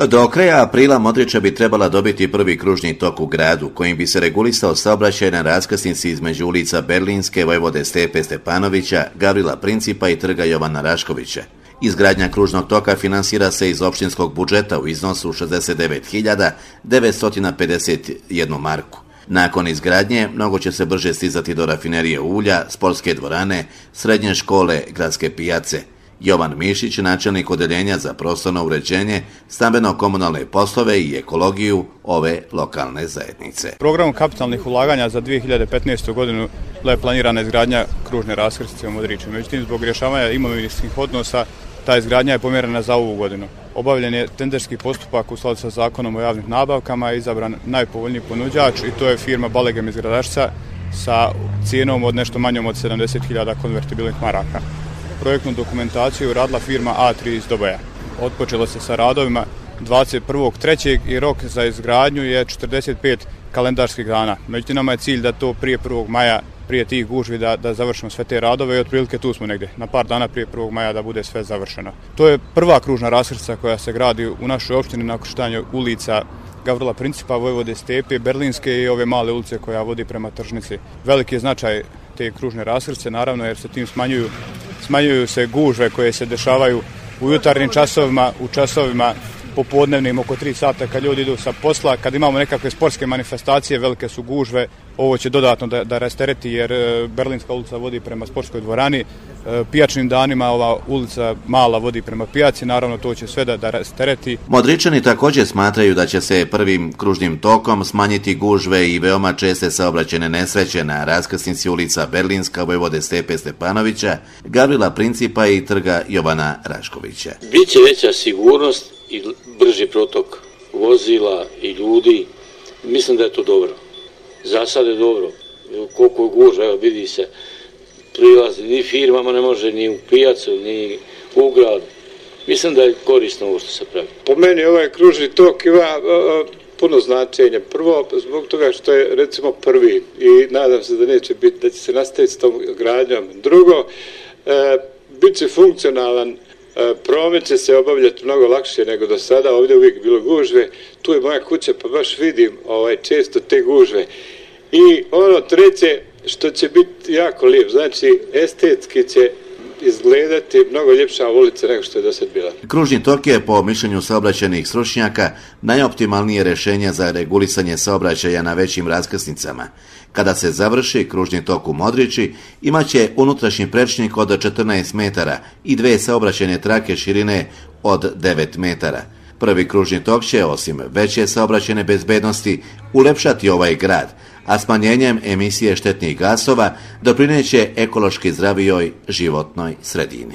Do kraja aprila Modriča bi trebala dobiti prvi kružni tok u gradu, kojim bi se regulisao saobraćaj na raskrsnici između ulica Berlinske, Vojvode Stepe Stepanovića, Gavrila Principa i trga Jovana Raškovića. Izgradnja kružnog toka finansira se iz opštinskog budžeta u iznosu 69.951 marku. Nakon izgradnje, mnogo će se brže stizati do rafinerije ulja, sportske dvorane, srednje škole, gradske pijace. Jovan Mišić, načelnik odeljenja za prostorno uređenje, stambeno-komunalne poslove i ekologiju ove lokalne zajednice. Programom kapitalnih ulaganja za 2015. godinu je planirana izgradnja kružne raskrsnice u Modriču. Međutim, zbog rješavanja imovinskih odnosa, ta izgradnja je pomjerena za ovu godinu. Obavljen je tenderski postupak u skladu sa zakonom o javnim nabavkama i izabran najpovoljniji ponuđač i to je firma Balegem iz Gradašca sa cijenom od nešto manjom od 70.000 konvertibilnih maraka. Projektnu dokumentaciju radila firma A3 iz Doboja. Otpočelo se sa radovima 21.3. i rok za izgradnju je 45 kalendarskih dana. Međutim, nama je cilj da to prije 1. maja, prije tih gužvi da završimo sve te radove i otprilike tu smo negdje, na par dana prije 1. maja da bude sve završeno. To je prva kružna raskrsnica koja se gradi u našoj opštini na ukrštanju ulica Gavrila Principa, Vojvode Stepe, Berlinske i ove male ulice koja vodi prema tržnici. Veliki je značaj te kružne raskrsnice, naravno, jer se tim smanjuju se gužve koje se dešavaju u jutarnjim časovima, u časovima popodnevnim oko 3 sata kad ljudi idu sa posla, kad imamo nekakve sportske manifestacije, velike su gužve, ovo će dodatno da rastereti jer Berlinska ulica vodi prema sportskoj dvorani, pijačnim danima ova ulica mala vodi prema pijaci, naravno to će sve da rastereti. Modričani također smatraju da će se prvim kružnim tokom smanjiti gužve i veoma česte saobraćajne nesreće na raskrsnici ulica Berlinska, Vojvode Stepe Stepanovića, Gavrila Principa i trga Jovana Raškovića. Biće veća sigurnost i brži protok vozila i ljudi. Mislim da je to dobro. Za sad je dobro. Koliko je gužva, evo vidi se, prilazi, ni firmama ne može, ni u pijacu, ni u gradu. Mislim da je korisno ovo što se pravi. Po meni ovaj kružni tok ima puno značenja. Prvo, zbog toga što je recimo prvi i nadam se da neće biti, da će se nastaviti s tom gradnjom. Drugo, bit će funkcionalan. Promet će se obavljati mnogo lakše nego do sada, ovdje uvijek bilo gužve, tu je moja kuća pa baš vidim često te gužve. I ono treće što će biti jako lijep, znači estetski će izgledati mnogo ljepša ulica nego što je do sad bila. Kružni tok je po mišljenju saobraćajnih stručnjaka najoptimalnije rješenje za regulisanje saobraćaja na većim raskrsnicama. Kada se završi kružni tok u Modriči, imaće unutrašnji prečnik od 14 metara i 2 saobraćajne trake širine od 9 metara. Prvi kružni tok će, osim veće saobraćajne bezbednosti, ulepšati ovaj grad, a smanjenjem emisije štetnih gasova doprineće ekološki zdravijoj životnoj sredini.